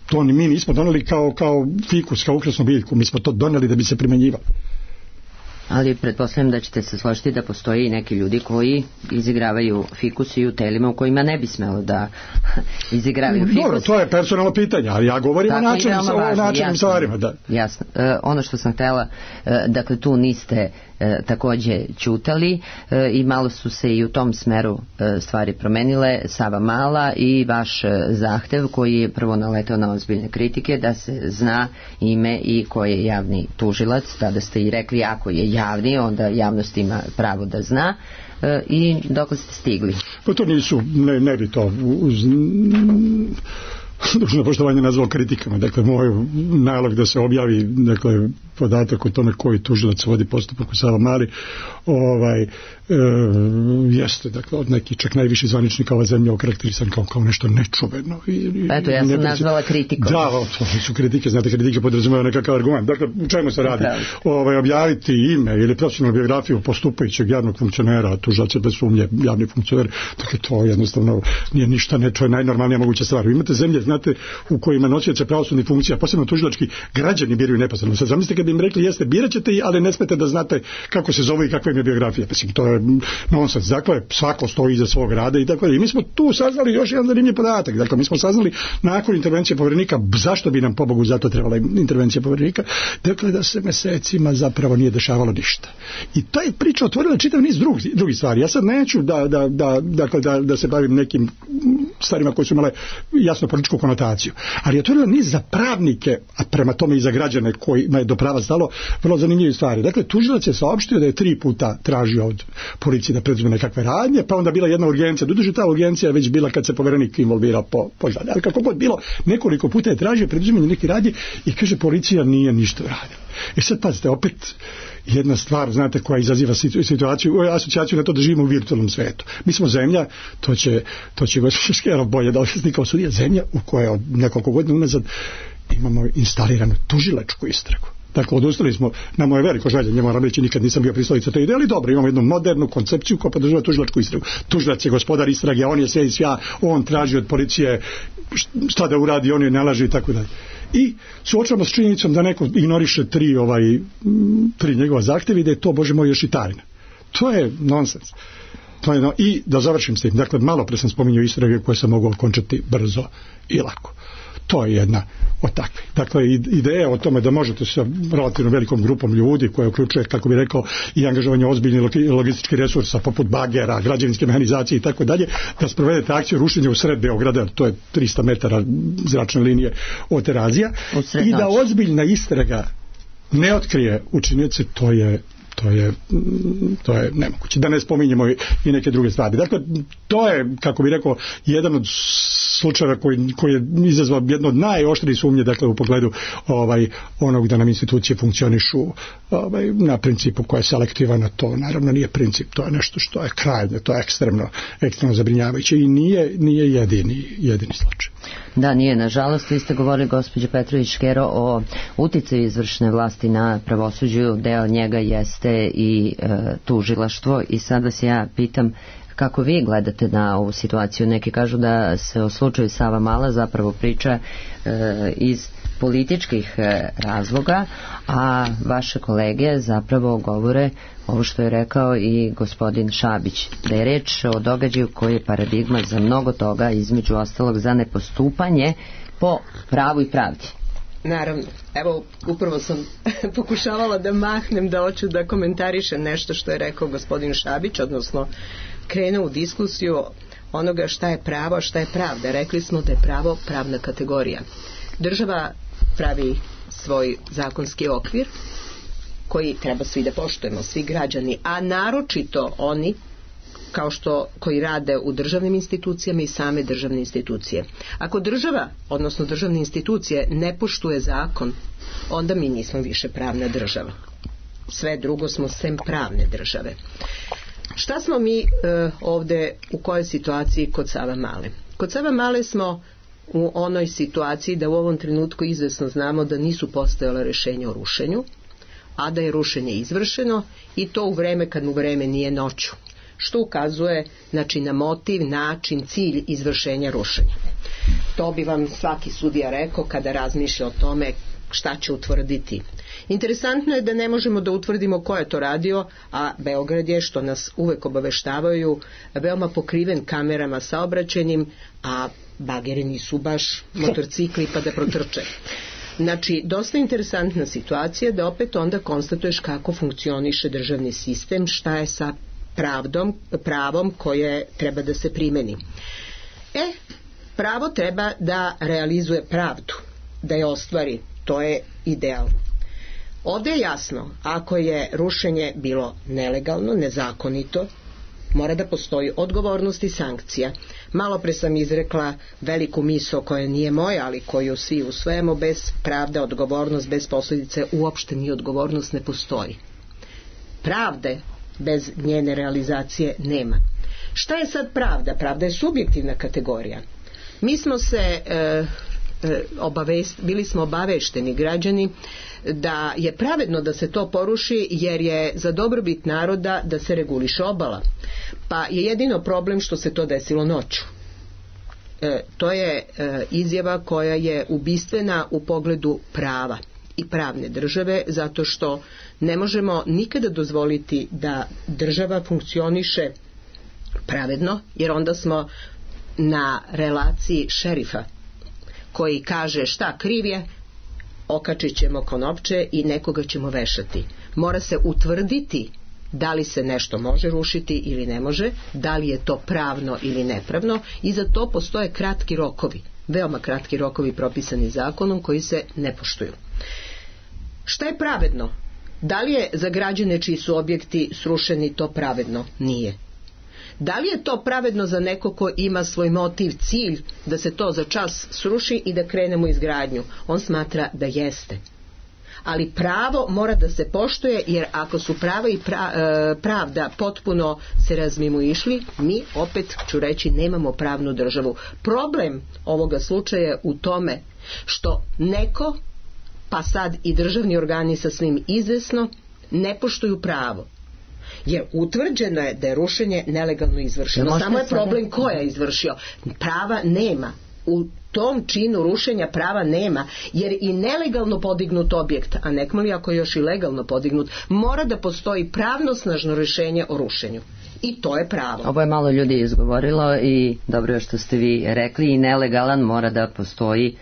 to mi nismo doneli kao fikus, kao ukrasnu biljku, mi smo to doneli da bi se primjenjivalo. Ali pretpostavljam da ćete se složiti da postoji i neki ljudi koji izigravaju fikus i u telima u kojima ne bi smelo da izigravaju fikus. Dobro, to je personalno pitanje, ali ja govorim o načelnim stvarima. Da. Jasno. Ono što sam htjela, dakle tu niste takođe ćutali i malo su se i u tom smeru stvari promenile. Savamala i vaš zahtev koji je prvo naletao na ozbiljne kritike da se zna ime i ko je javni tužilac. Tada ste i rekli, ako je javni, onda javnost ima pravo da zna. I dok ste stigli? Pa to nisu, ne bi to uz dužno poštovanje nazvao kritikama. Dakle, moj nalog da se objavi, dakle, podatak o tome koji tužilac vodi postupak u Savamali, jeste, dakle, od nekih čak najviših zvaničnika ova zemlja okarakterisan kao nešto nečuveno. Eto, ja sam nazvala kritikom. Da, to su kritike, znate, kritike podrazumevaju nekakav argument. Dakle, u čemu se radi? Objaviti ime ili profesionalnu biografiju postupajućeg javnog funkcionera, tužilac je bez sumnje javni funkcioner, dakle, to jednostavno nije ništa, to je najnormalnija moguća stvar. Imate zemlje, znate, u kojima nosioce pravosudnih funkcija, posebno tužilački, građani biraju neposredno. Sad zamislite kad bi im rekli jeste, birat ćete ih, ali ne smete da znate kako se zove i kakva im je biografija. Mislim, to je nonsens. Dakle, svako stoji iza svog rada i tako. I mi smo tu saznali još jedan zanimljiv podatak. Dakle, mi smo saznali nakon intervencije Poverenika zašto bi nam pobogu zato trebala intervencija Poverenika. Dakle, da se mesecima zapravo nije dešavalo ništa. I ta je priča otvorila čitav niz drugih stvari. Ja sad neću da se bavim nekim stvarima koje su imale jasno političku konotaciju, ali je otvorila niz za pravnike, a prema tome i za građane kojima je do prava stalo, vrlo zanimljive stvari. Dakle, tužilac je saopštio da je 3 puta tražio od policije da preduzme nekakve radnje, pa onda bila jedna urgencija. Doduše ta urgencija je već bila kad se Poverenik involvirao po žalbi. Ali kako god bilo, nekoliko puta je tražio preduzimanje nekih radnji i kaže policija nije ništa radila. I sad pazite, opet jedna stvar, znate, koja izaziva asocijaciju na to da živimo u virtualnom svetu. Mi smo zemlja, to će gospođa Škerov bolje da objasni kao sudija, zemlja u kojoj od nekoliko godina unazad imamo instaliranu tužilačku istragu. Dakle, odustali smo, na moje veliko žaljenje, moram reći, nikad nisam bio pristalica te ideje, ali dobro, imamo jednu modernu koncepciju koja podržava tužilačku istragu. Tužilac je gospodar istrage, on je sve i svja, on traži od policije šta da uradi, on je nalaže i tako dalje. I suočavamo s činjenicom da neko ignoriše 3 njegova zahtjeva i da je to, Bože moj, još i tajna. To je nonsens. I da završim s tim. Dakle, malo pre sam spominjao istrage koje se mogu okončati brzo i lako. To je jedna od takvih. Dakle, ideja o tome da možete sa relativno velikom grupom ljudi koja uključuje, kako bi rekao, i angažovanje ozbiljnih logističkih resursa poput bagera, građevinske mehanizacije i tako dalje, da sprovedete akciju rušenja u sred Beograda, to je 300 metara zračne linije od Terazija, i da ozbiljna istraga ne otkrije učinioce, to je nemoguće. Da ne spominjemo i neke druge stvari. Dakle, to je, kako bih rekao, jedan od slučajeva koji je izazvao jedno od najoštrije sumnje, dakle, u pogledu onog da nam institucije funkcionišu na principu koja je selektivana. To naravno nije princip, to je nešto što je krajnje, to je ekstremno zabrinjavajuće i nije jedini slučaj. Da, nije, nažalost. Vi ste govorili, gospođo Petrović-Škero, o uticaju izvršne vlasti na pravosuđu, deo njega jeste i tužilaštvo, i sad vas ja pitam kako vi gledate na ovu situaciju. Neki kažu da se o slučaju Savamala zapravo priča iz političkih razloga, a vaše kolege zapravo govore ovo što je rekao i gospodin Šabić, da je reč o događaju koji je paradigma za mnogo toga, između ostalog za nepostupanje po pravu i pravdi. Naravno, evo, upravo sam pokušavala da mahnem da hoću da komentarišem nešto što je rekao gospodin Šabić, odnosno krenuo u diskusiju onoga šta je pravo, šta je pravda. Rekli smo da je pravo pravna kategorija. Država pravi svoj zakonski okvir koji treba svi da poštujemo, svi građani, a naročito oni koji rade u državnim institucijama i same državne institucije. Ako država, odnosno državne institucije, ne poštuje zakon, onda mi nismo više pravna država. Sve drugo smo sem pravne države. Šta smo mi ovde, u kojoj situaciji kod Savamale? Kod Savamale smo u onoj situaciji da u ovom trenutku izvesno znamo da nisu postojala rešenja o rušenju, a da je rušenje izvršeno, i to u vreme kad mu vreme nije noću, što ukazuje, znači, na motiv, način, cilj izvršenja rušenja. To bi vam svaki sudija rekao kada razmišlja o tome šta će utvrditi. Interesantno je da ne možemo da utvrdimo ko je to radio, a Beograd je, što nas uvek obaveštavaju, veoma pokriven kamerama saobraćajnim, a bageri nisu baš motorcikli pa da protrče. Znači, dosta interesantna situacija da opet onda konstatuješ kako funkcioniše državni sistem, šta je sa pravom koje treba da se primeni. Pravo treba da realizuje pravdu, da je ostvari, to je ideal. Ovdje je jasno, ako je rušenje bilo nelegalno, nezakonito, mora da postoji odgovornost i sankcija. Malo pre sam izrekla veliku misao koja nije moja, ali koju svi usvajamo: bez pravde, odgovornost, bez posljedice uopšte ni odgovornost ne postoji. Pravde bez njene realizacije nema. Šta je sad pravda? Pravda je subjektivna kategorija. Mi smo se bili smo obavešteni građani da je pravedno da se to poruši, jer je za dobrobit naroda da se reguliše obala. Pa je jedino problem što se to desilo noću. to je izjava koja je ubistvena u pogledu prava i pravne države, zato što ne možemo nikada dozvoliti da država funkcioniše pravedno, jer onda smo na relaciji šerifa koji kaže šta kriv je, okačit ćemo konopče i nekoga ćemo vešati. Mora se utvrditi da li se nešto može rušiti ili ne može, da li je to pravno ili nepravno, i za to postoje kratki rokovi, veoma kratki rokovi propisani zakonom koji se ne poštuju. Šta je pravedno? Da li je za građane čiji su objekti srušeni to pravedno? Nije. Da li je to pravedno za neko ko ima svoj motiv, cilj da se to za čas sruši i da krenemo izgradnju? On smatra da jeste. Ali pravo mora da se poštuje, jer ako su prava i pravda potpuno se razmimoišli, mi opet, ću reći, nemamo pravnu državu. Problem ovoga slučaja je u tome što neko, pa sad i državni organi sasvim izvesno, ne poštuju pravo. Jer utvrđeno je da je rušenje nelegalno izvršeno. Samo je problem ko je izvršio. Prava nema. U tom činu rušenja prava nema, jer i nelegalno podignut objekt, a nekmali ako je još i legalno podignut, mora da postoji pravnosnažno rješenje o rušenju. I to je pravo. Ovo je malo ljudi izgovorilo i dobro je što ste vi rekli, i nelegalan mora da postoji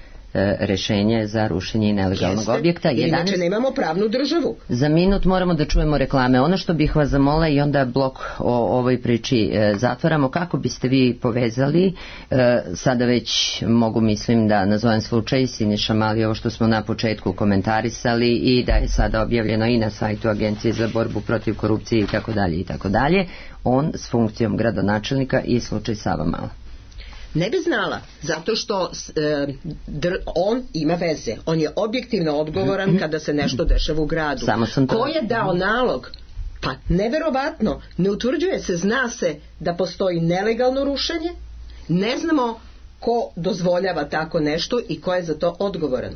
rešenje za rušenje nelegalnog objekta. Inače nemamo pravnu državu. Za minut moramo da čujemo reklame. Ono što bih vas zamola, i onda blok o ovoj priči zatvaramo, kako biste vi povezali, sada već mogu, mislim, da nazovem slučaj Siniša Mali, ovo što smo na početku komentarisali i da je sada objavljeno i na sajtu Agencije za borbu protiv korupcije i tako dalje, on s funkcijom gradonačelnika i slučaj Savamala. Ne bi znala, zato što on ima veze. On je objektivno odgovoran kada se nešto dešava u gradu. Ko je dao nalog? Pa neverovatno, ne utvrđuje se, zna se da postoji nelegalno rušenje, ne znamo ko dozvoljava tako nešto i ko je za to odgovoran.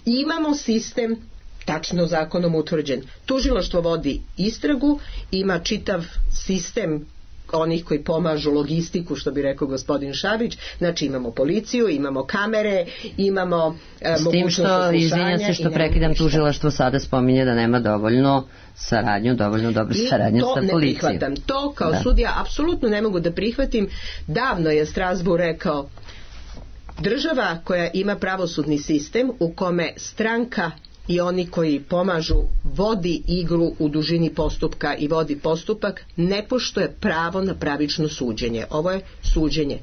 Imamo sistem tačno zakonom utvrđen. Tužilaštvo vodi istragu, ima čitav sistem onih koji pomažu logistiku, što bi rekao gospodin Šabić. Znači imamo policiju, imamo kamere, imamo mogućnost saslušanja. S tim što, izvinjam se što prekidam, tužilaštvo sada spominje da nema dovoljno dobru saradnju sa policijom. To ne prihvatam. To kao sudija apsolutno ne mogu da prihvatim. Davno je Strasbourg rekao, država koja ima pravosudni sistem u kome stranka i oni koji pomažu vodi igru u dužini postupka i vodi postupak, ne poštuje pravo na pravično suđenje. Ovo je suđenje.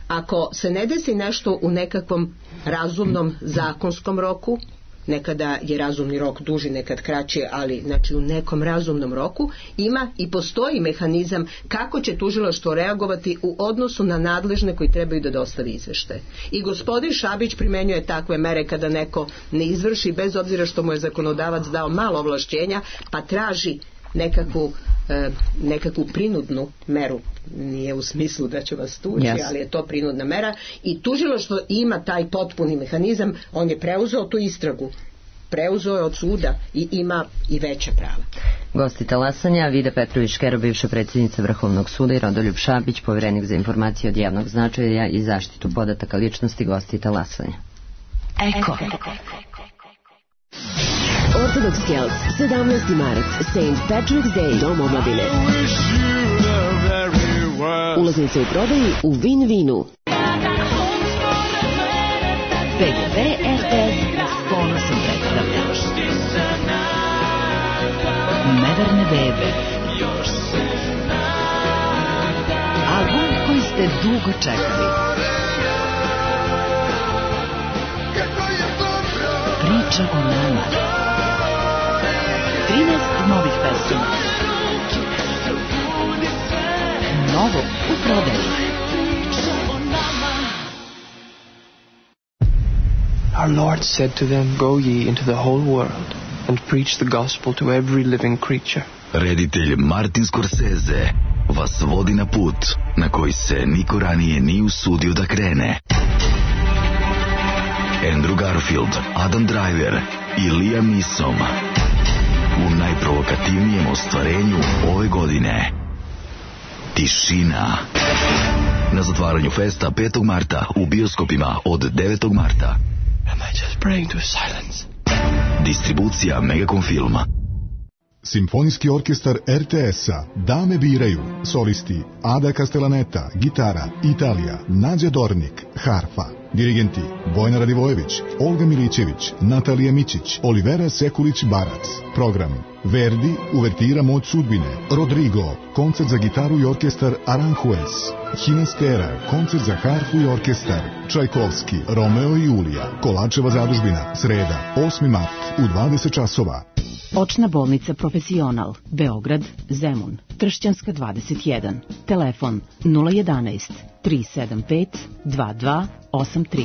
Ako se ne desi nešto u nekakvom razumnom zakonskom roku, nekada je razumni rok duži, nekad kraći, ali znači u nekom razumnom roku, ima i postoji mehanizam kako će tužilaštvo reagovati u odnosu na nadležne koji trebaju da dostavi izveštaje. I gospodin Šabić primenjuje takve mere kada neko ne izvrši, bez obzira što mu je zakonodavac dao malo ovlašćenja, pa traži nekakvu prinudnu meru, nije u smislu da će vas tući, ali je to prinudna mera, i tužilaštvo ima taj potpuni mehanizam. On je preuzeo tu istragu, preuzeo je od suda i ima i veća prava. Gosti talasanja: Vida Petrović-Škero, bivša predsjednica Vrhovnog suda, i Rodoljub Šabić, poverenik za informacije od javnog značaja i zaštitu podataka ličnosti. Gosti talasanja. Eko. Ortodoks Kelts, 17. mart, St. Patrick's Day, Dom omladine. Ulaznice u prodaji u Win-Winu. PGP RTS s ponosom predstavlja Neverne bebe, album koji ste dugo čekali. Priča o nama. 13 novih pesama. Novo u prodaji. Our Lord said to them, Go ye into the whole world and preach the gospel to every living creature. Reditelj Martin Scorsese vas vodi na put na koji se niko ranije nije usudio da krene. Andrew Garfield, Adam Driver i Liam Neeson u najprovokativnijem ostvarenju ove godine. Tišina. na zatvaranju festa 5. marta u bioskopima od 9. marta. Am I just praying to silence? Distribucija Megacom Filma. Simfonijski orkestar RTS-a Dame biraju. Solisti Ada Castellaneta, gitara, Italija, Nađa Dornik, harfa. Dirigenti Vojna Radivojević, Olga Milićević, Natalija Mićić, Olivera Sekulić-Barac. Program: Verdi, uvertira Moć sudbine, Rodrigo, koncert za gitaru i orkestar Aranjuez, Hinastera, koncert za harfu i orkestar, Čajkovski, Romeo i Julija, Kolačeva zadužbina, sreda, 8. mart u 20 časova. Očna bolnica Profesional, Beograd, Zemun, Tršćanska 21, telefon 011 375 2283.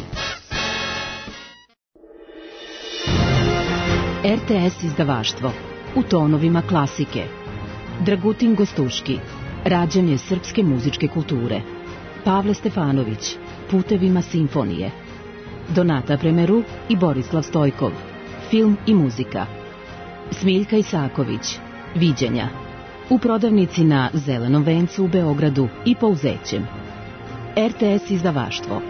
RTS izdavaštvo, u tonovima klasike. Dragutin Gostuški, rađanje srpske muzičke kulture. Pavle Stefanović, putevima simfonije. Donata Premeru i Borislav Stojkov, film i muzika. Smiljka Isaković, viđenja. U prodavnici na Zelenom vencu u Beogradu i Pouzećem. RTS izdavaštvo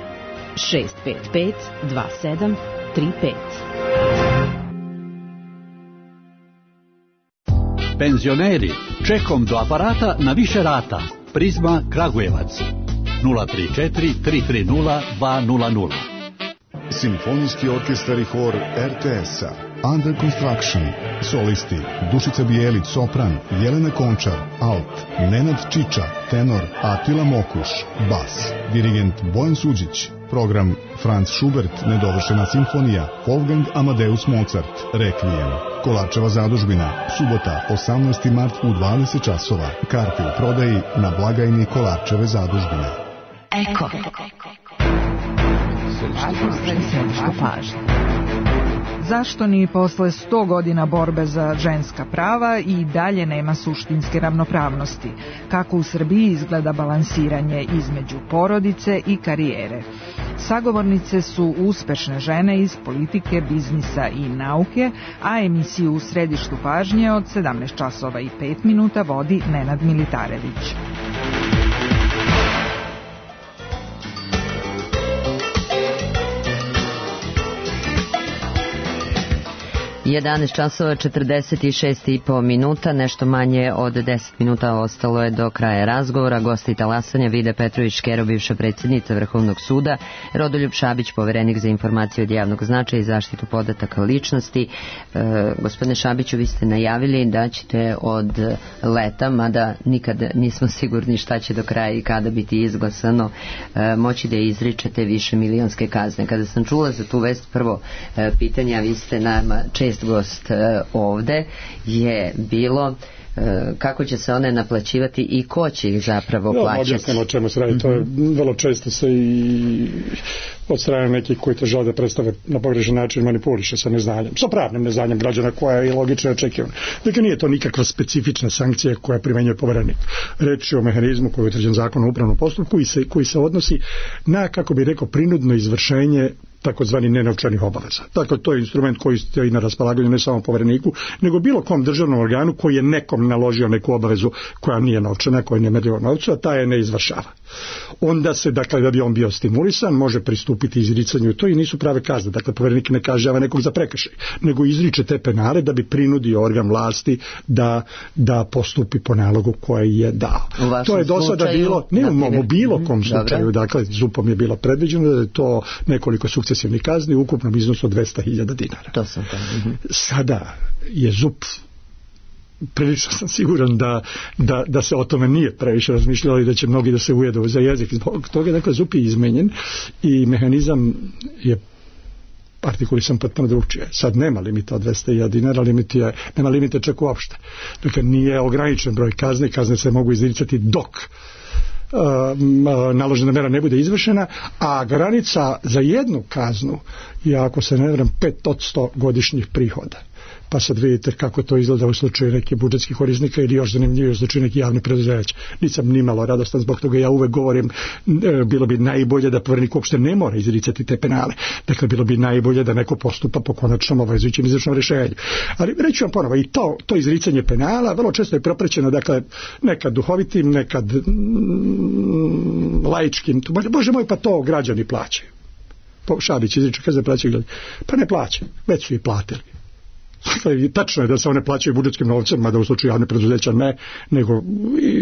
655 2735. Penzioneri, čekom do aparata na više rata. Prizma Kragujevac 034 330 200. Simfonijski orkestar i hor RTS-a Under Construction. Solisti Dušica Bijelić, sopran, Jelena Končar, alt, Nenad Čiča, tenor, Atila Mokuš, bas. Dirigent Bojan Suđić. Program: Franz Schubert, nedovršena simfonija, Wolfgang Amadeus Mozart, Requiem. Kolačeva zadužbina, subota 18. mart u 20 časova. Karte u prodaji na blagajni Kolačeve zadužbine. Eko. Središnja pažnja. Zašto ni posle 100 godina borbe za ženska prava i dalje nema suštinske ravnopravnosti? Kako u Srbiji izgleda balansiranje između porodice i karijere? Sagovornice su uspešne žene iz politike, biznisa i nauke, a emisiju u središtu pažnje od 17 časova i 5 minuta vodi Nenad Militarević. 11 časova 46,5 minuta, nešto manje od 10 minuta ostalo je do kraja razgovora. Gosti talasanja: Vida Petrović-Škero, bivša predsjednica Vrhovnog suda, Rodoljub Šabić, poverenik za informacije od javnog značaja i zaštitu podataka ličnosti. Gospodine Šabiću, vi ste najavili da ćete od leta, mada nikad nismo sigurni šta će do kraja i kada biti izglasano, moći da izričete više milionske kazne. Kada sam čula za tu vest, prvo pitanje, a vi ste nama čest gost ovde, je bilo kako će se one naplaćivati i ko će ih zapravo plaćati. Objasnimo o čemu se radi. To je vrlo često se i od strane nekih koji te žele da predstave na pogrešan način manipuliše sa neznanjem, sa pravnim neznanjem građana, koja je logično očekivana. Dakle, nije to nikakva specifična sankcija koja primenjuje poverenik. Reč je o mehanizmu koji je utvrđen Zakonom o upravnom postupku i koji se odnosi na, kako bi rekao, prinudno izvršenje takozvani nenovčanih obaveza. Dakle, to je instrument koji stoji na raspolaganju ne samo povereniku, nego bilo kom državnom organu koji je nekom naložio neku obavezu koja nije novčana, koja nije merljiva novcu, a ta je ne izvršava. Onda se, dakle, da bi on bio stimulisan, može pristupiti izricanju to i nisu prave kazne. Dakle, poverenik ne kažnjava nekog za prekršaj, nego izriče te penale da bi prinudio organ vlasti da postupi po nalogu koji je dao. To je do sada bilo, ne u bilo kom slučaju, dakle, ZUP-om je bilo predviđeno da je to nekoliko sukcesivnih kazni u ukupnom iznosu od 200.000 dinara. To sam to. Sada je ZUP, prilično sam siguran da se o tome nije previše razmišljalo i da će mnogi da se ujedu za jezik. Zbog toga, dakle, ZUP je izmenjen i mehanizam je artikulisan potpuno drugčije. Sad nema limita od 200.000 dinara, nema limita čak uopšte. Dakle, nije ograničen broj kazni, kazne se mogu izricati dok naložena mera ne bude izvršena, a granica za jednu kaznu je, ako se ne varam, 5% godišnjih prihoda. pa sad vidite kako to izgleda u slučaju nekih budžetskih korisnika ili još zanimljivije u slučaju nekih javnih preduzeća. Nisam nimalo radostan zbog toga, ja uvek govorim, bilo bi najbolje da Poverenik uopšte ne mora izricati te penale. Dakle, bilo bi najbolje da neko postupa po konačnom obavezujućem izvršnom rješenju. Ali reći vam ponovo, i to izricanje penala vrlo često je propraćeno, dakle, nekad duhovitim, nekad laičkim. Bože moj, pa to građani plaćaju. Šabić izriče, kaže da plaćaju građani. Pa ne plaćaju, već su i platili. Tačno je da se one plaćaju budžetskim novcem, mada u slučaju javne preduzeća ne, nego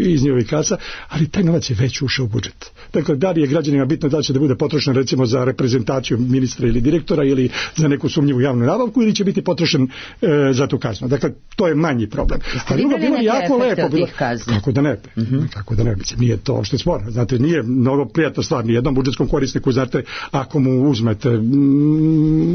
iz njihovih kasa, ali taj novac je već ušao u budžet. Dakle, da li je građanima bitno da će da bude potrošen recimo za reprezentaciju ministra ili direktora ili za neku sumnjivu javnu nabavku ili će biti potrošen za tu kaznu. Dakle, to je manji problem. Ali drugo bilo jako lepo. Kako da ne, nije to što je sporno. Znate, nije mnogo prijatna stvar ni jednom budžetskom korisniku, znate, ako mu uzmete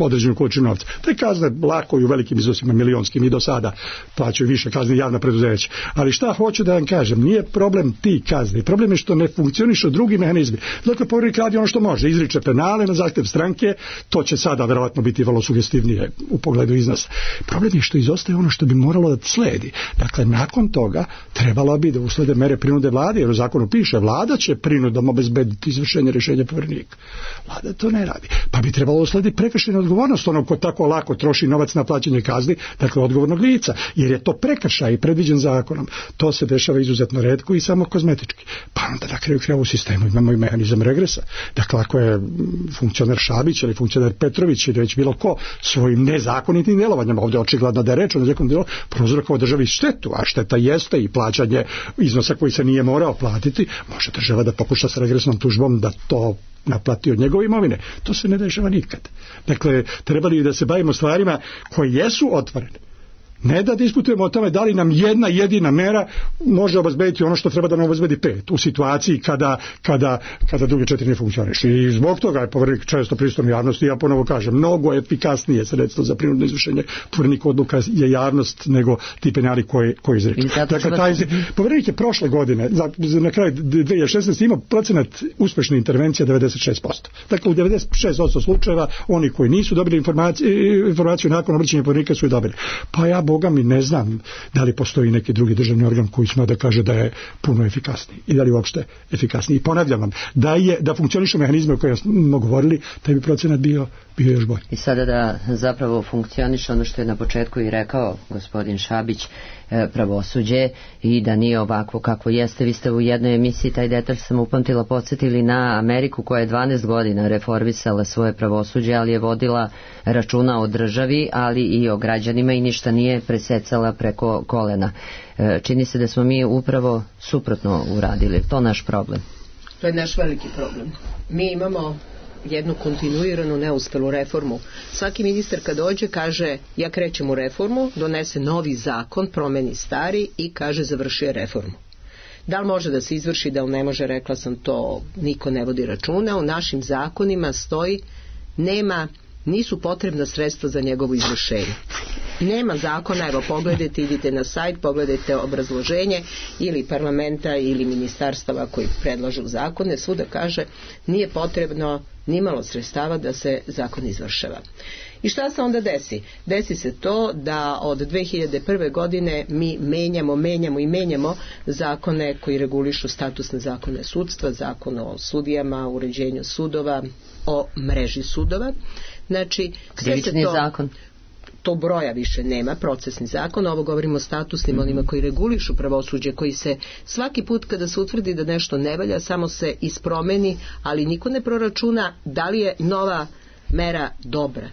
određenu količinu novca. Te kazne lako i u velikim iznosima milionskim i do sada plaćaju više kazne javna preduzeća. Ali šta hoću da vam kažem, nije problem ti kazne, problem je što ne funkcionišu drugi mehanizmi. Dakle, Poverenik radi ono što može, izriče penale na zahtjev stranke, to će sada verovatno biti vrlo sugestivnije u pogledu iznosa. Problem je što izostaje ono što bi moralo da sledi. Dakle, nakon toga trebalo bi da uslede mere prinude vlade, jer u zakonu piše vlada će prinudom obezbediti izvršenje rješenja Poverenika. Vlada to ne radi. Pa bi trebalo uslediti prekršajna odgovornost onog ko tako lako troši novac na plaćanje kazni, dakle odgovornog lica, jer je to prekršaj predviđen zakonom. To se dešava izuzetno retko i samo kozmetički. Pa onda na kraju krajeva u sistemu imamo i mehanizam regresa. Dakle, ako je funkcioner Šabić ili funkcioner Petrović ili već bilo ko svojim nezakonitim djelovanjem, ovdje očigledno da je reč o nezakonitim djelovanjem, prouzrokovao državi štetu, a šteta jeste i plaćanje iznosa koji se nije morao platiti, može država da pokuša sa regresnom tužbom da to naplati od njegove imovine. To se ne dešava nikad. Dakle, trebali da se bavimo stvarima koje jesu otvorene. Ne da diskutujemo o tome da li nam jedna jedina mera može obezbediti ono što treba da nam obezbedi 5 u situaciji kada druge 4 ne funkcionišu. I zbog toga je Poverenik često prisutan javnosti, ja ponovo kažem, mnogo efikasnije sredstvo za prinudno izvršenje Poverenik odluka je javnost nego ti penali koji izriču. Dakle, Poverenik je prošle godine, na kraju 2016. imao procenat uspešne intervencije 96%. Dakle, u 96% slučajeva oni koji nisu dobili informaciju nakon obraćanja Poverenika su je dobili. Pa ja Boga mi ne znam da li postoji neki drugi državni organ koji sme da kaže da je puno efikasniji i da li uopšte efikasniji. I ponavljam vam, da funkcionišu mehanizme o kojima smo govorili, taj bi procenat bio još bolji. I sada da zapravo funkcioniše ono što je na početku i rekao gospodin Šabić, pravosuđe, i da nije ovako kako jeste. Vi ste u jednoj emisiji, taj detalj sam upamtila, podsjetili na Ameriku koja je 12 godina reformisala svoje pravosuđe, ali je vodila računa o državi, ali i o građanima i ništa nije presecala preko kolena. Čini se da smo mi upravo suprotno uradili. To je naš problem. To je naš veliki problem. Mi imamo jednu kontinuiranu neuspelu reformu. Svaki ministar kad dođe kaže ja krećem u reformu, donese novi zakon, promeni stari i kaže završio reformu. Da li može da se izvrši, da li ne može, rekla sam to, niko ne vodi računa. U našim zakonima stoji nisu potrebna sredstva za njegovo izvršenje. Nema zakona, evo pogledajte, idite na sajt, pogledajte obrazloženje ili parlamenta ili ministarstava koji predlažu zakone, svuda kaže nije potrebno nimalo sredstava da se zakon izvršava. I šta se onda desi? Desi se to da od 2001. godine mi menjamo zakone koji regulišu statusne zakone sudstva, zakon o sudijama, uređenju sudova, o mreži sudova. Znači, krivični zakon. To broja više nema, procesni zakon, ovo govorimo o statusnim, onima koji regulišu pravosuđe, koji se svaki put kada se utvrdi da nešto ne valja, samo se ispromeni, ali niko ne proračuna da li je nova mera dobra.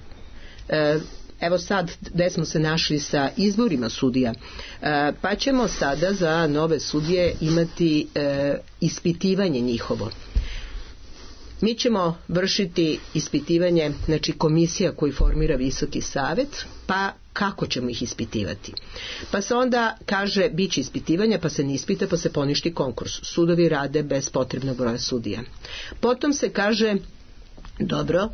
Evo sad gde smo se našli sa izborima sudija, pa ćemo sada za nove sudije imati ispitivanje njihovo. Mi ćemo vršiti ispitivanje, znači komisija koju formira Visoki savet, pa kako ćemo ih ispitivati? Pa se onda kaže bit će ispitivanja, pa se ne ispita, pa se poništi konkurs. Sudovi rade bez potrebnog broja sudija. Potom se kaže, dobro,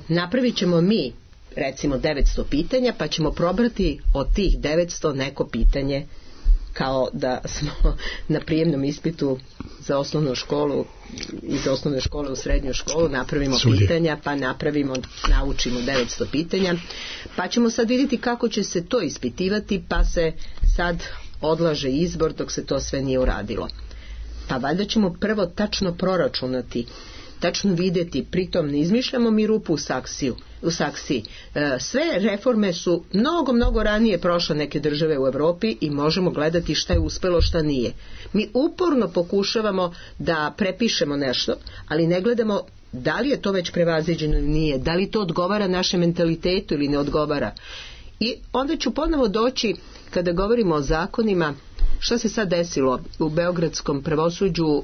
napravit ćemo mi recimo 900 pitanja, pa ćemo probrati od tih 900 neko pitanje kao da smo na prijemnom ispitu za osnovnu školu, iz osnovne škole u srednju školu napravimo pitanja, pa naučimo 900 pitanja, pa ćemo sad vidjeti kako će se to ispitivati, pa se sad odlaže izbor dok se to sve nije uradilo. Pa valjda ćemo prvo tačno proračunati, tačno vidjeti, pritom ne izmišljamo mi rupu u saksiji. Sve reforme su mnogo ranije prošle neke države u Europi i možemo gledati šta je uspjelo, šta nije. Mi uporno pokušavamo da prepišemo nešto, ali ne gledamo da li je to već prevaziđeno ili nije, da li to odgovara našem mentalitetu ili ne odgovara. I onda ću ponovo doći, kada govorimo o zakonima, što se sad desilo u beogradskom pravosuđu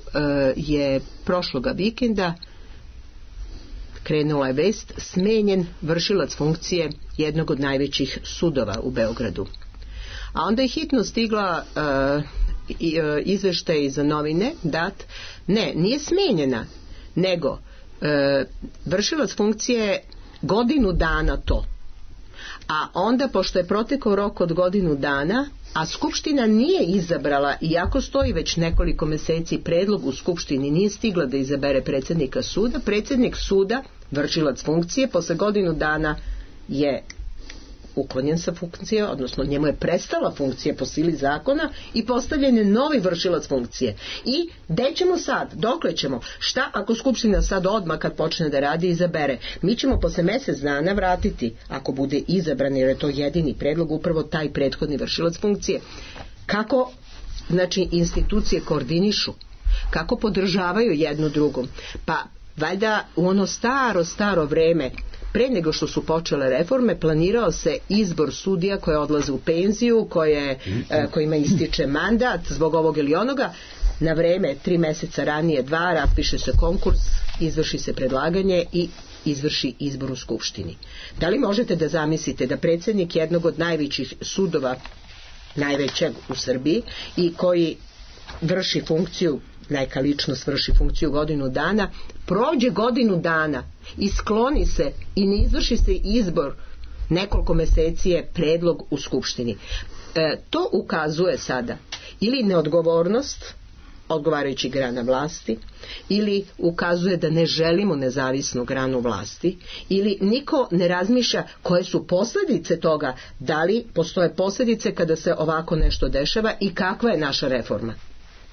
je prošloga vikenda krenula je vest, smenjen vršilac funkcije jednog od najvećih sudova u Beogradu. A onda je hitno stigla izveštaj za novine dat, nije smenjena, nego vršilac funkcije godinu dana to. A onda, pošto je protekao rok od godinu dana, a Skupština nije izabrala, iako stoji već nekoliko mjeseci predlog u Skupštini, nije stigla da izabere predsjednika suda, predsjednik suda, vršilac funkcije, posle godinu dana je uklonjen sa funkcije, odnosno njemu je prestala funkcija po sili zakona i postavljen je novi vršilac funkcije. I gde ćemo sad? Dokle ćemo? Šta ako Skupština sad odmah kad počne da radi izabere? Mi ćemo posle mjesec dana vratiti, ako bude izabran, jer je to jedini predlog, upravo taj prethodni vršilac funkcije. Kako, znači, institucije koordinišu? Kako podržavaju jednu drugom? Pa valjda u ono staro vreme, pre nego što su počele reforme, planirao se izbor sudija koje odlaze u penziju, kojima ističe mandat zbog ovog ili onoga. Na vreme, 3 mjeseca ranije, 2, raspiše se konkurs, izvrši se predlaganje i izvrši izbor u Skupštini. Da li možete da zamislite da predsjednik jednog od najvećih sudova, najvećeg u Srbiji, i koji vrši funkciju, neka ličnost vrši funkciju godinu dana, prođe godinu dana i skloni se i ne izvrši se izbor, nekoliko mjeseci je predlog u Skupštini. To ukazuje sada ili neodgovornost odgovarajućih grana vlasti, ili ukazuje da ne želimo nezavisnu granu vlasti, ili niko ne razmišlja koje su posljedice toga, da li postoje posljedice kada se ovako nešto dešava i kakva je naša reforma.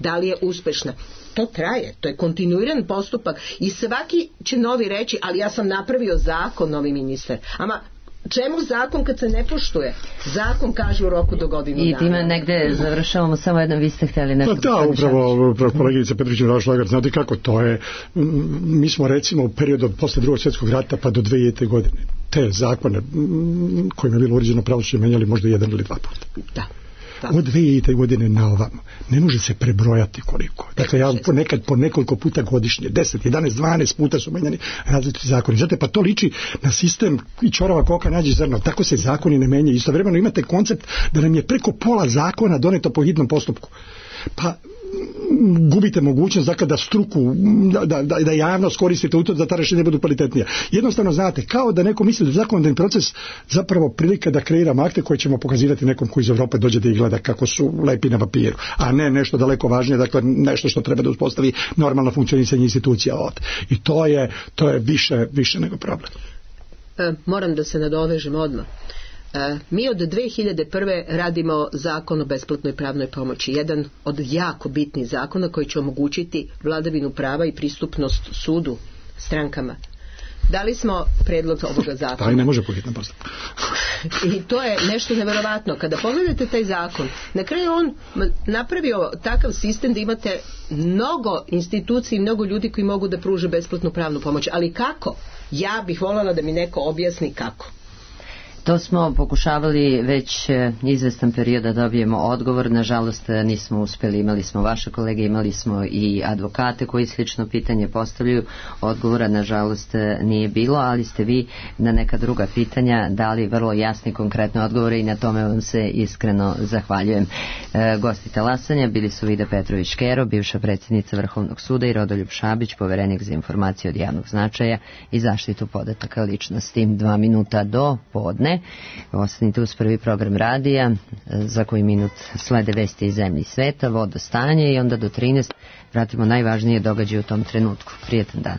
Da li je uspešna? To traje, to je kontinuiran postupak i svaki će novi reći, ali ja sam napravio zakon, novi ministar. Ama čemu zakon kad se ne poštuje? Zakon kaže u roku do godinu dana. I time negde završavamo, samo jedno, vi ste htjeli nešto. Da, upravo kolegica Petrović-Šlager, znate kako to je. Mi smo recimo u periodu posle Drugog svjetskog rata pa do 2000. godine te zakone kojima je bilo uređeno pravosuđe menjali možda 1 ili 2 puta. Da. Od 2000. godine na ovamo ne može se prebrojati koliko. Dakle, ja ponekad po nekoliko puta godišnje, 10, 11, 12 puta su menjani različiti zakoni. Znate, pa to liči na sistem i čorava koka nađe zrno. Tako se zakoni ne menjaju. Istovremeno imate koncept da nam je preko pola zakona doneto po hitnom postupku. Pa gubite mogućnost dakle da struku, da javnost koristite u to da ta rješenja budu kvalitetnija. Jednostavno znate, kao da neko misli da zakonodavni proces zapravo prilika da kreiramo akte koje ćemo pokazivati nekom koji iz Europe dođe da ih gleda kako su lepi na papiru, a ne nešto daleko važnije, dakle nešto što treba da uspostavi normalno funkcionisanje institucija ovdje. I to je više nego problem. Moram da se nadovežem odmah. Mi od 2001. radimo zakon o besplatnoj pravnoj pomoći, jedan od jako bitnih zakona koji će omogućiti vladavinu prava i pristupnost sudu strankama. Dali smo predlog ovoga zakona. Taj ne može po hitnom postupku. I to je nešto neverovatno. Kada pogledate taj zakon, na kraju on napravio takav sistem da imate mnogo institucija i mnogo ljudi koji mogu da pruže besplatnu pravnu pomoć. Ali kako? Ja bih voljela da mi neko objasni kako. To smo pokušavali već izvestan period da dobijemo odgovor, nažalost nismo uspjeli, imali smo vaše kolege, imali smo i advokate koji slično pitanje postavljaju, odgovora nažalost nije bilo, ali ste vi na neka druga pitanja dali vrlo jasne i konkretne odgovore i na tome vam se iskreno zahvaljujem. Gosti talasanja bili su Vida Petrović-Škero, bivša predsjednica Vrhovnog suda, i Rodoljub Šabić, poverenik za informacije od javnog značaja i zaštitu podataka ličnosti. 2 minuta do podne. ne. Ostanite uz prvi program radija, za koji minut slede vesti iz zemlje i sveta, vodostanje i onda do 13 pratimo najvažnije događaje u tom trenutku. Prijetan dan.